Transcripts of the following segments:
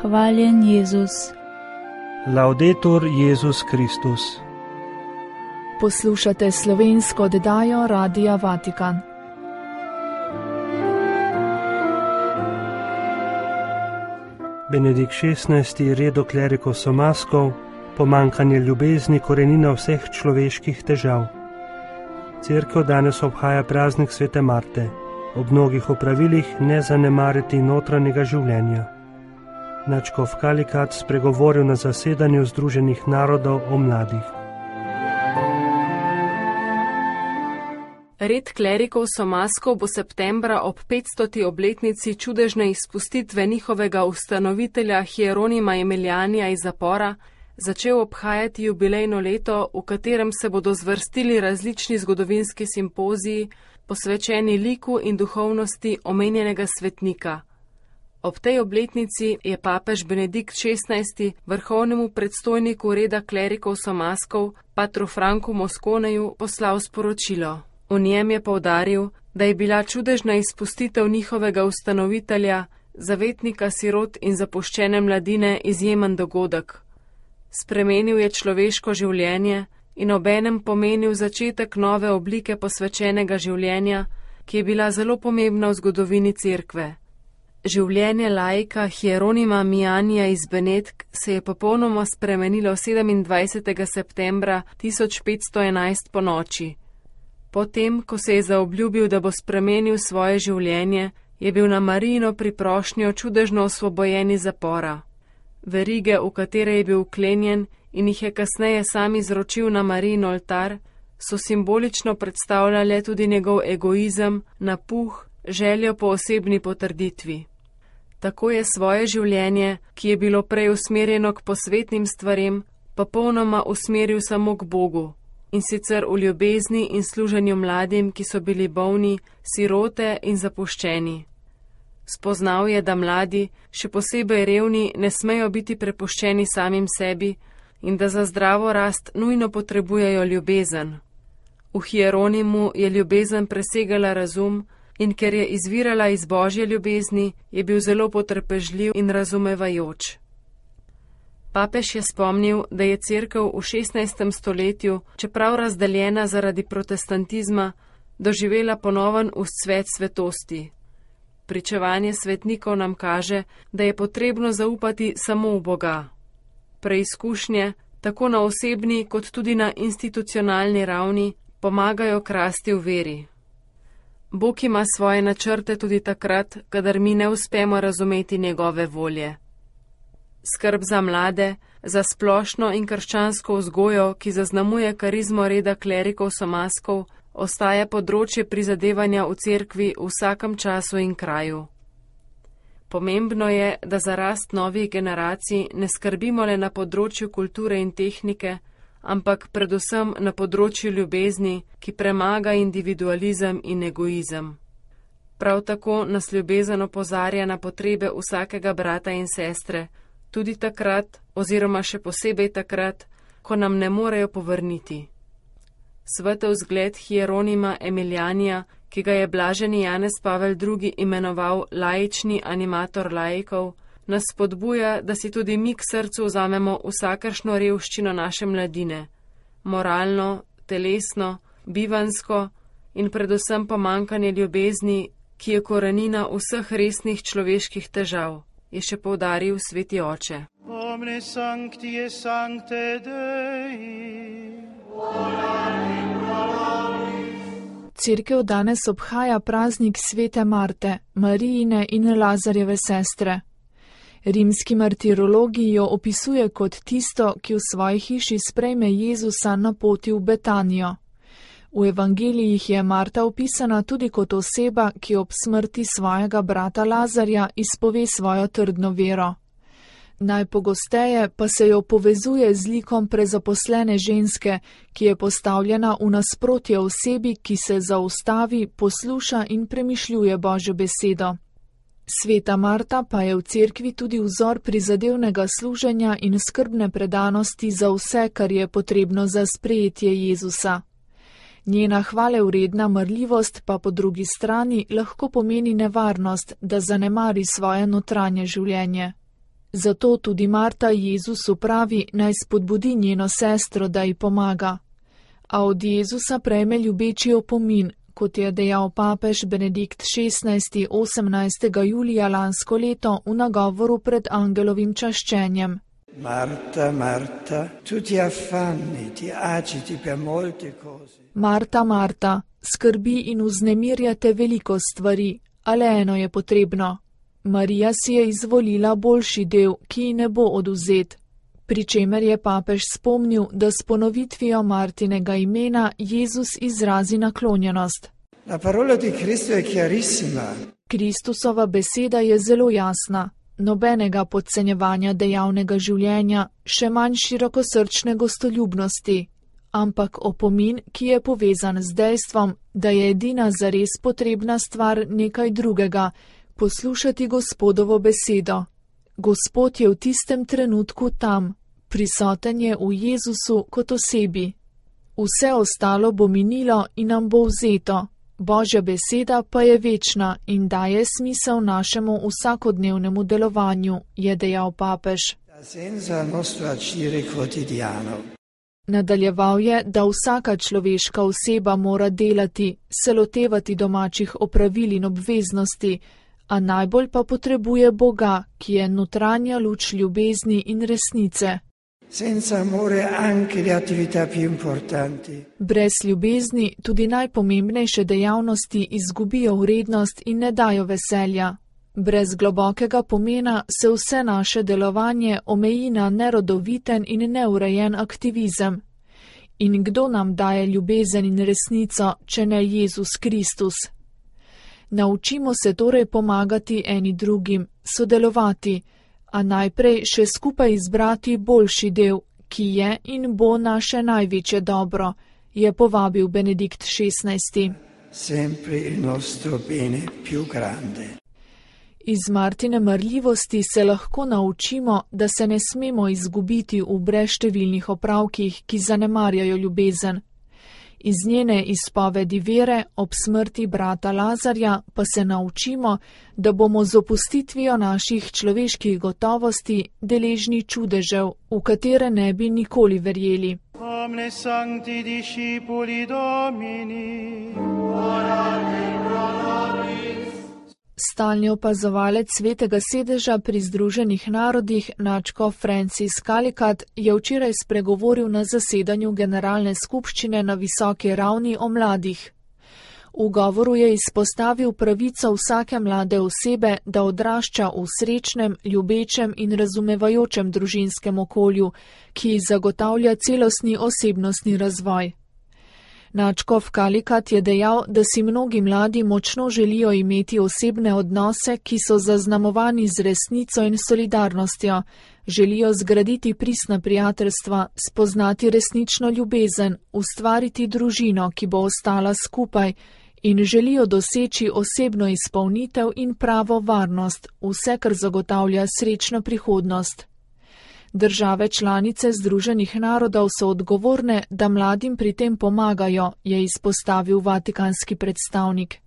Hvaljen Jezus. Laudetur Jezus Kristus. Poslušate slovensko oddajo Radia Vatikan. Benedikt XVI. Redo Clericus Somaskov, pomanjkanje ljubezni korenina vseh človeških težav. Cerkev danes obhaja praznik svete Marte. Ob mnogih opravilih ne zanemariti notranjega življenja. Nadškof Kalikat spregovoril na zasedanju Združenih narodov o mladih. Red klerikov Somaskov bo septembra ob 500. obletnici čudežne izpustitve njihovega ustanovitelja Hieronima Emilianija iz zapora začel obhajati jubilejno leto, v katerem se bodo zvrstili različni zgodovinski simpoziji, posvečeni liku in duhovnosti omenjenega svetnika. Ob tej obletnici je papež Benedikt XVI. Vrhovnemu predstojniku reda klerikov Somaskov, patru Franku Mosconeju, poslal sporočilo. V njem je poudaril, da je bila čudežna izpustitev njihovega ustanovitelja, zavetnika sirot in zapuščene mladine, izjemen dogodek. Spremenil je človeško življenje in obenem pomenil začetek nove oblike posvečenega življenja, ki je bila zelo pomembna v zgodovini cerkve. Življenje laika Hieronima Mijanija iz Benetk se je popolnoma spremenilo 27. septembra 1511 po noči. Potem, ko se je zaobljubil, da bo spremenil svoje življenje, je bil na Marijino priprošnjo čudežno osvobojen iz zapora. Verige, v katere je bil vklenjen in jih je kasneje sam izročil na Marijin oltar, so simbolično predstavljale tudi njegov egoizem, napuh, željo po osebni potrditvi. Tako je svoje življenje, ki je bilo prej usmerjeno k posvetnim stvarem, popolnoma usmeril samo k Bogu, in sicer v ljubezni in služenju mladim, ki so bili bolni, sirote in zapuščeni. Spoznal je, da mladi, še posebej revni, ne smejo biti prepuščeni samim sebi in da za zdravo rast nujno potrebujejo ljubezen. V Hieronimu je ljubezen presegala razum in ker je izvirala iz Božje ljubezni, je bil zelo potrpežljiv in razumevajoč. Papež je spomnil, da je cerkev v 16. stoletju, čeprav razdeljena zaradi protestantizma, doživela ponoven vzcvet svetosti. Pričevanje svetnikov nam kaže, da je potrebno zaupati samo v Boga. Preizkušnje, tako na osebni kot tudi na institucionalni ravni, pomagajo k rasti v veri. Bog ima svoje načrte tudi takrat, kadar mi ne uspemo razumeti njegove volje. Skrb za mlade, za splošno in krščansko vzgojo, ki zaznamuje karizmo reda klerikov Somaskov, ostaja področje prizadevanja v cerkvi v vsakem času in kraju. Pomembno je, da za rast novih generacij ne skrbimo le na področju kulture in tehnike, ampak predvsem na področju ljubezni, ki premaga individualizem in egoizem. Prav tako nas ljubezen opozarja na potrebe vsakega brata in sestre, tudi takrat oziroma še posebej takrat, ko nam ne morejo povrniti. Svetel zgled Hieronima Emilianija, ki ga je blaženi Janez Pavel II. Imenoval laični animator laikov, nas spodbuja, da si tudi mi k srcu vzamemo vsakršno revščino naše mladine, moralno, telesno, bivansko in predvsem pomanjkanje ljubezni, ki je korenina vseh resnih človeških težav, je še poudaril sveti oče. Omne sancti et sancte Dei. Cerkev danes obhaja praznik svete Marte, Marijine in Lazarjeve sestre. Rimski martirologi jo opisuje kot tisto, ki v svoji hiši sprejme Jezusa na poti v Betanijo. V evangelijih je Marta opisana tudi kot oseba, ki ob smrti svojega brata Lazarja izpove svojo trdno vero. Najpogosteje pa se jo povezuje z likom prezaposlene ženske, ki je postavljena v nasprotje osebi, ki se zaustavi, posluša in premišljuje Božjo besedo. Sveta Marta pa je v cerkvi tudi vzor prizadevnega služenja in skrbne predanosti za vse, kar je potrebno za sprejetje Jezusa. Njena hvalevredna marljivost pa po drugi strani lahko pomeni nevarnost, da zanemari svoje notranje življenje. Zato tudi Marta Jezusu pravi, naj spodbudi njeno sestro, da ji pomaga. A od Jezusa prejme ljubeči opomin, kot je dejal papež Benedikt XVI. 18. julija lansko leto v nagovoru pred angelovim čaščenjem. Marta, Marta, tu ti affanni, ti agiti per molte cose. Marta, Marta, skrbi in vznemirjate veliko stvari, a le eno je potrebno. Marija si je izvolila boljši del, ki ji ne bo odvzet. Pri čemer je papež spomnil, da s ponovitvijo Martinega imena Jezus izrazi naklonjenost. La parola di Cristo è chiarissima. Kristusova beseda je zelo jasna. Nobenega podcenjevanja dejavnega življenja, še manj širokosrčne gostoljubnosti, ampak opomin, ki je povezan z dejstvom, da je edina zares potrebna stvar nekaj drugega, poslušati Gospodovo besedo. Gospod je v tistem trenutku tam, prisoten je v Jezusu kot osebi. Vse ostalo bo minilo in nam bo vzeto. Božja beseda pa je večna in daje smisel našemu vsakodnevnemu delovanju, je dejal papež. Nadaljeval je, da vsaka človeška oseba mora delati, se lotevati domačih opravil in obveznosti, a najbolj pa potrebuje Boga, ki je notranja luč ljubezni in resnice. Senza amore anche le attività più importanti. Brez ljubezni tudi najpomembnejše dejavnosti izgubijo vrednost in ne dajo veselja. Brez globokega pomena se vse naše delovanje omeji na nerodoviten in neurejen aktivizem. In kdo nam daje ljubezen in resnico, če ne Jezus Kristus? Naučimo se torej pomagati eni drugim, sodelovati, a najprej še skupaj izbrati boljši del, ki je in bo naše največje dobro, je povabil Benedikt XVI. Sempre il nostro bene più grande. Iz Martine marljivosti se lahko naučimo, da se ne smemo izgubiti v brezštevilnih opravkih, ki zanemarjajo ljubezen. Iz njene izpovedi vere ob smrti brata Lazarja pa se naučimo, da bomo z opustitvijo naših človeških gotovosti deležni čudežev, v katere ne bi nikoli verjeli. Omne sancti discipuli Domini, Stalni opazovalec Svetega sedeža pri Združenih narodih, nadškof Francis Calicut, je včeraj spregovoril na zasedanju Generalne skupščine na visoki ravni o mladih. V govoru je izpostavil pravico vsake mlade osebe, da odrašča v srečnem, ljubečem in razumevajočem družinskem okolju, ki zagotavlja celostni osebnostni razvoj. Nadškof Calicut je dejal, da si mnogi mladi močno želijo imeti osebne odnose, ki so zaznamovani z resnico in solidarnostjo, želijo zgraditi pristna prijateljstva, spoznati resnično ljubezen, ustvariti družino, ki bo ostala skupaj, in želijo doseči osebno izpolnitev in pravo varnost, vse, kar zagotavlja srečno prihodnost. Države članice Združenih narodov so odgovorne, da mladim pri tem pomagajo, je izpostavil vatikanski predstavnik.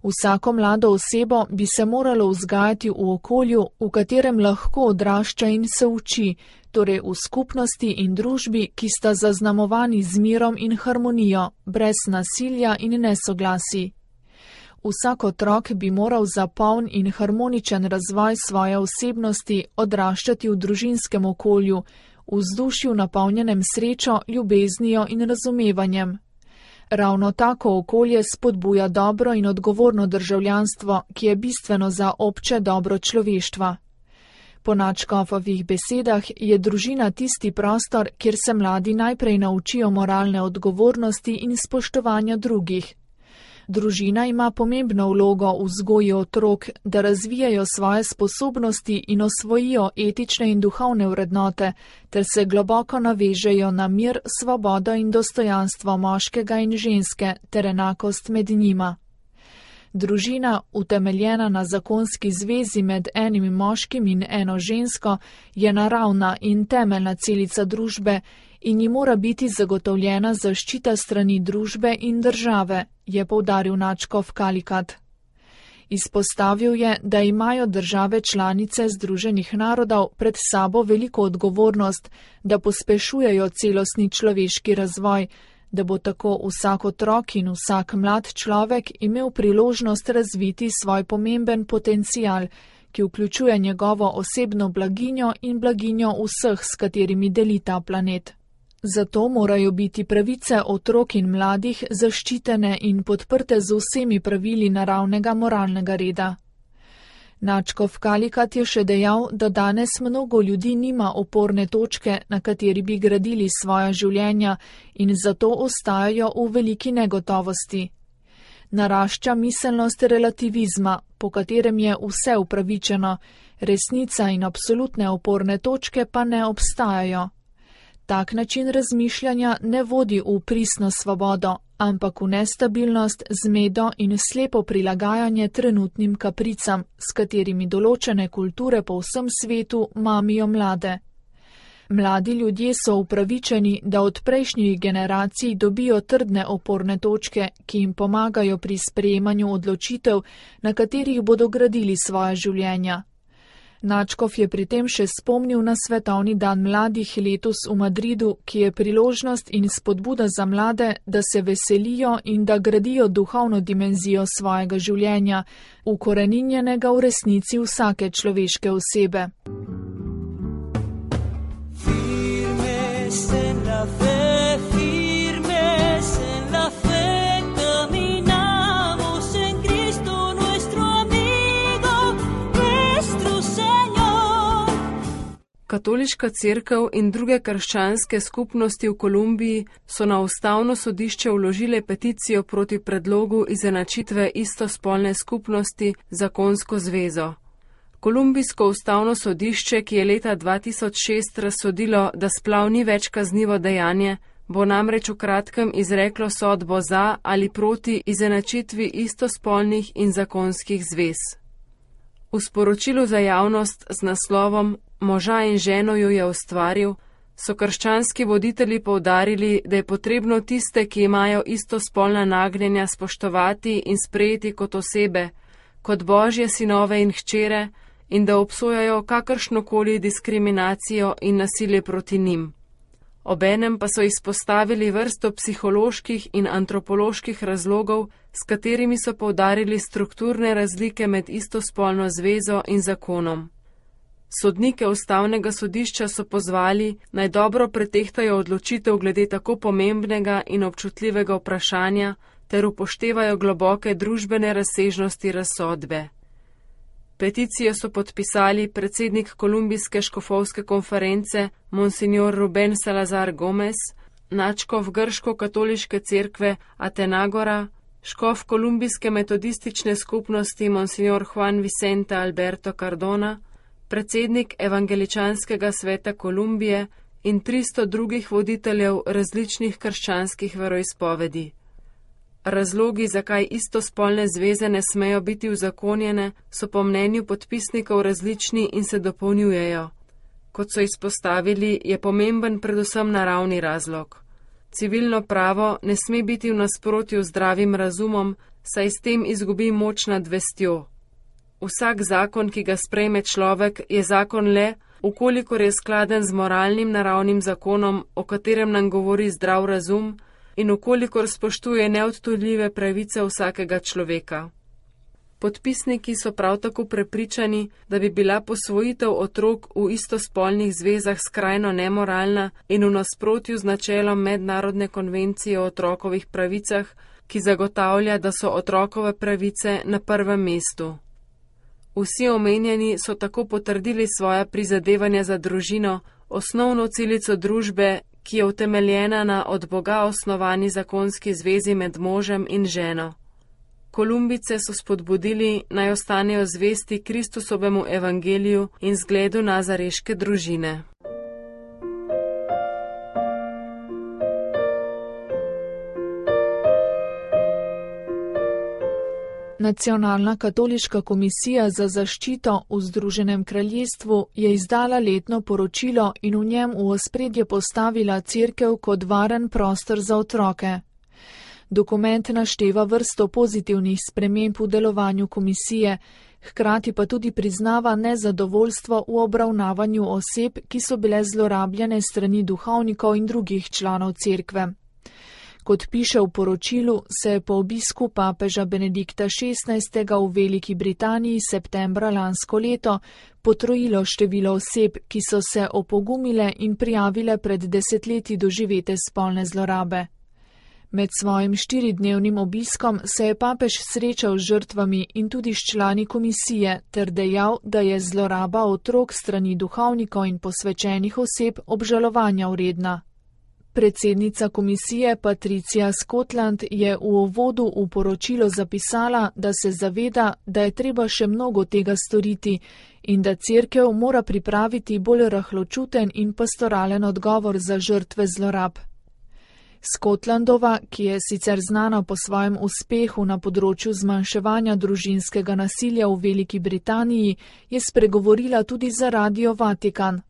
Vsako mlado osebo bi se moralo vzgajati v okolju, v katerem lahko odrašča in se uči, torej v skupnosti in družbi, ki sta zaznamovani z mirom in harmonijo, brez nasilja in nesoglasij. Vsak otrok bi moral za poln in harmoničen razvoj svoje osebnosti odraščati v družinskem okolju, v vzdušju napolnjenem srečo, ljubeznijo in razumevanjem. Ravno tako okolje spodbuja dobro in odgovorno državljanstvo, ki je bistveno za obče dobro človeštva. Po nadškofovih besedah je družina tisti prostor, kjer se mladi najprej naučijo moralne odgovornosti in spoštovanja drugih. Družina ima pomembno vlogo v vzgoji otrok, da razvijajo svoje sposobnosti in osvojijo etične in duhovne vrednote, ter se globoko navežejo na mir, svobodo in dostojanstvo moškega in ženske ter enakost med njima. Družina, utemeljena na zakonski zvezi med enim moškim in eno žensko, je naravna in temeljna celica družbe in ji mora biti zagotovljena zaščita strani družbe in države, je poudaril nadškof Calicut. Izpostavil je, da imajo države članice Združenih narodov pred sabo veliko odgovornost, da pospešujejo celostni človeški razvoj, da bo tako vsak otrok in vsak mlad človek imel priložnost razviti svoj pomemben potencial, ki vključuje njegovo osebno blaginjo in blaginjo vseh, s katerimi deli ta planet. Zato morajo biti pravice otrok in mladih zaščitene in podprte z vsemi pravili naravnega moralnega reda. Načkov Kalikat je še dejal, da danes mnogo ljudi nima oporne točke, na kateri bi gradili svoja življenja in zato ostajajo v veliki negotovosti. Narašča miselnost relativizma, po katerem je vse upravičeno, resnica in absolutne oporne točke pa ne obstajajo. Tak način razmišljanja ne vodi v pristno svobodo, ampak v nestabilnost, zmedo in slepo prilagajanje trenutnim kapricam, s katerimi določene kulture po vsem svetu mamijo mlade. Mladi ljudje so upravičeni, da od prejšnjih generacij dobijo trdne oporne točke, ki jim pomagajo pri sprejemanju odločitev, na katerih bodo gradili svoja življenja. Načkov je pri tem še spomnil na Svetovni dan mladih letos v Madridu, ki je priložnost in spodbuda za mlade, da se veselijo in da gradijo duhovno dimenzijo svojega življenja, ukoreninjenega v resnici vsake človeške osebe. Katoliška cerkev in druge krščanske skupnosti v Kolumbiji so na ustavno sodišče vložile peticijo proti predlogu izenačitve istospolne skupnosti z zakonsko zvezo. Kolumbijsko ustavno sodišče, ki je leta 2006 razsodilo, da splav ni več kaznivo dejanje, bo namreč v kratkem izreklo sodbo za ali proti izenačitvi istospolnih in zakonskih zvez. V sporočilu za javnost z naslovom Moža in ženo ju je ustvaril, so krščanski voditelji poudarili, da je potrebno tiste, ki imajo istospolna nagnjenja, spoštovati in sprejeti kot osebe, kot božje sinove in hčere, in da obsojajo kakršnokoli diskriminacijo in nasilje proti njim. Obenem pa so izpostavili vrsto psiholoških in antropoloških razlogov, s katerimi so poudarili strukturne razlike med istospolno zvezo in zakonom. Sodnike ustavnega sodišča so pozvali, naj dobro pretehtajo odločitev glede tako pomembnega in občutljivega vprašanja ter upoštevajo globoke družbene razsežnosti razsodbe. Peticijo so podpisali predsednik Kolumbijske škofovske konference Monsignor Rubén Salazar Gómez, nadškof grško-katoliške cerkve Atenagora, škof Kolumbijske metodistične skupnosti Monsignor Juan Vicente Alberto Cardona, predsednik Evangeličanskega sveta Kolumbije in 300 drugih voditeljev različnih krščanskih veroizpovedi. Razlogi, zakaj istospolne zveze ne smejo biti uzakonjene, so po mnenju podpisnikov različni in se dopolnjujejo. Kot so izpostavili, je pomemben predvsem naravni razlog. Civilno pravo ne sme biti v nasprotju z zdravim razumom, saj s tem izgubi moč nad vestjo. Vsak zakon, ki ga sprejme človek, je zakon le, ukolikor je skladen z moralnim naravnim zakonom, o katerem nam govori zdrav razum, in ukolikor spoštuje neodtujljive pravice vsakega človeka. Podpisniki so prav tako prepričani, da bi bila posvojitev otrok v istospolnih zvezah skrajno nemoralna in v nasprotju z načelom Mednarodne konvencije o otrokovih pravicah, ki zagotavlja, da so otrokove pravice na prvem mestu. Vsi omenjeni so tako potrdili svoja prizadevanja za družino, osnovno celico družbe, ki je utemeljena na od Boga osnovani zakonski zvezi med možem in ženo. Kolumbice so spodbudili, naj ostanejo zvesti Kristusovemu evangeliju in zgledu nazareške družine. Nacionalna katoliška komisija za zaščito v Združenem kraljestvu je izdala letno poročilo in v njem v ospredje postavila cerkev kot varen prostor za otroke. Dokument našteva vrsto pozitivnih sprememb v delovanju komisije, hkrati pa tudi priznava nezadovoljstvo v obravnavanju oseb, ki so bile zlorabljene strani duhovnikov in drugih članov cerkve. Kot piše v poročilu, se je po obisku papeža Benedikta XVI. V Veliki Britaniji septembra lansko leto potrojilo število oseb, ki so se opogumile in prijavile pred desetletji doživete spolne zlorabe. Med svojim 4-dnevnim obiskom se je papež srečal z žrtvami in tudi s člani komisije ter dejal, da je zloraba otrok strani duhovnikov in posvečenih oseb obžalovanja vredna. Predsednica komisije Patricia Scotland je v uvodu v poročilo zapisala, da se zaveda, da je treba še mnogo tega storiti in da cerkev mora pripraviti bolj rahločuten in pastoralen odgovor za žrtve zlorab. Scotlandova, ki je sicer znana po svojem uspehu na področju zmanjševanja družinskega nasilja v Veliki Britaniji, je spregovorila tudi za Radio Vatikan.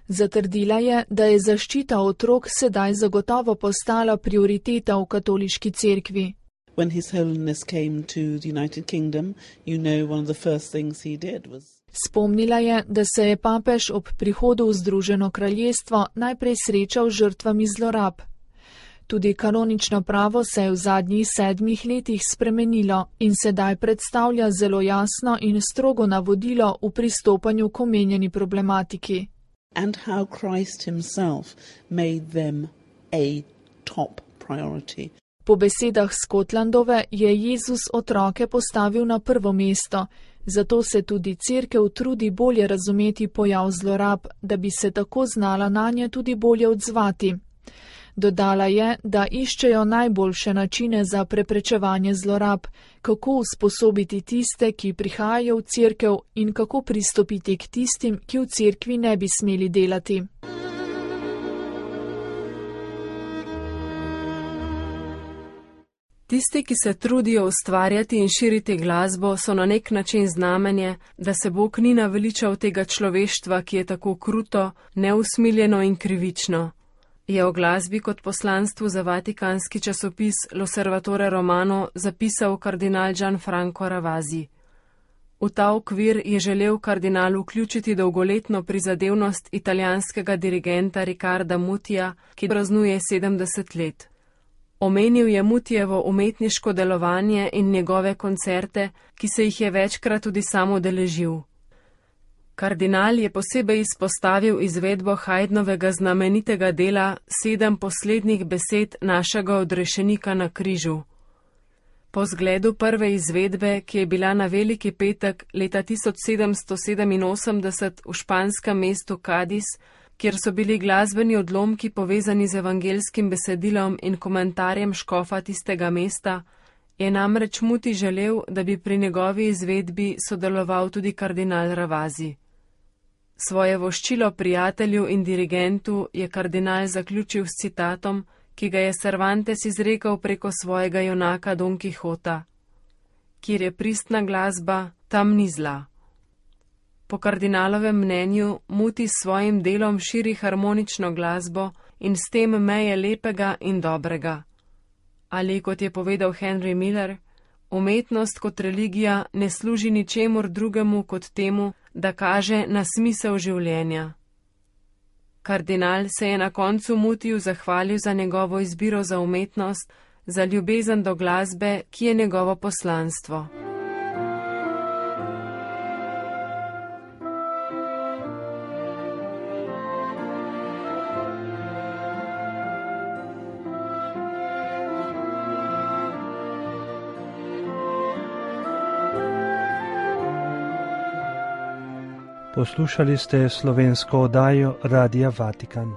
Zatrdila je, da je zaščita otrok sedaj zagotovo postala prioriteta v katoliški cerkvi. When His Holiness came to the United Kingdom, one of the first things he did was... Spomnila je, da se je papež ob prihodu v Združeno kraljestvo najprej srečal z žrtvami zlorab. Tudi kanonično pravo se je v zadnjih 7 letih spremenilo in sedaj predstavlja zelo jasno in strogo navodilo v pristopanju k omenjeni problematiki. And how Christ himself made them a top priority. Po besedah Scotlandove je Jezus otroke postavil na prvo mesto, zato se tudi cerkev trudi bolje razumeti pojav zlorab, da bi se tako znala nanje tudi bolje odzvati. Dodala je, da iščejo najboljše načine za preprečevanje zlorab, kako usposobiti tiste, ki prihajajo v cerkev in kako pristopiti k tistim, ki v cerkvi ne bi smeli delati. Tisti, ki se trudijo ustvarjati in širiti glasbo, so na nek način znamenje, da se Bog ni naveličal tega človeštva, ki je tako kruto, neusmiljeno in krivično. Je o glasbi kot poslanstvu za vatikanski časopis L'Osservatore Romano zapisal kardinal Gianfranco Ravasi. V ta okvir je želel kardinal vključiti dolgoletno prizadevnost italijanskega dirigenta Riccarda Mutija, ki praznuje 70 let. Omenil je Mutijevo umetniško delovanje in njegove koncerte, ki se jih je večkrat tudi sam udeležil. Kardinal je posebej izpostavil izvedbo Haydnovega znamenitega dela 7 poslednjih besed našega odrešenika na križu. Po zgledu prve izvedbe, ki je bila na Veliki petek leta 1787 v španskem mestu Cadiz, kjer so bili glasbeni odlomki povezani z evangelskim besedilom in komentarjem škofa tistega mesta, je namreč Muti želel, da bi pri njegovi izvedbi sodeloval tudi kardinal Ravasi. Svoje voščilo prijatelju in dirigentu je kardinal zaključil s citatom, ki ga je Cervantes izrekel preko svojega junaka Don Quixota: "Kjer je pristna glasba, tam ni zla." Po kardinalovem mnenju Muti s svojim delom širi harmonično glasbo in s tem meje lepega in dobrega. Ali, kot je povedal Henry Miller, umetnost kot religija ne služi ničemur drugemu kot temu, da kaže na smisel življenja. Kardinal se je na koncu Mutiju zahvalil za njegovo izbiro za umetnost, za ljubezen do glasbe, ki je njegovo poslanstvo. Poslušali ste slovensko oddajo Radia Vatikan.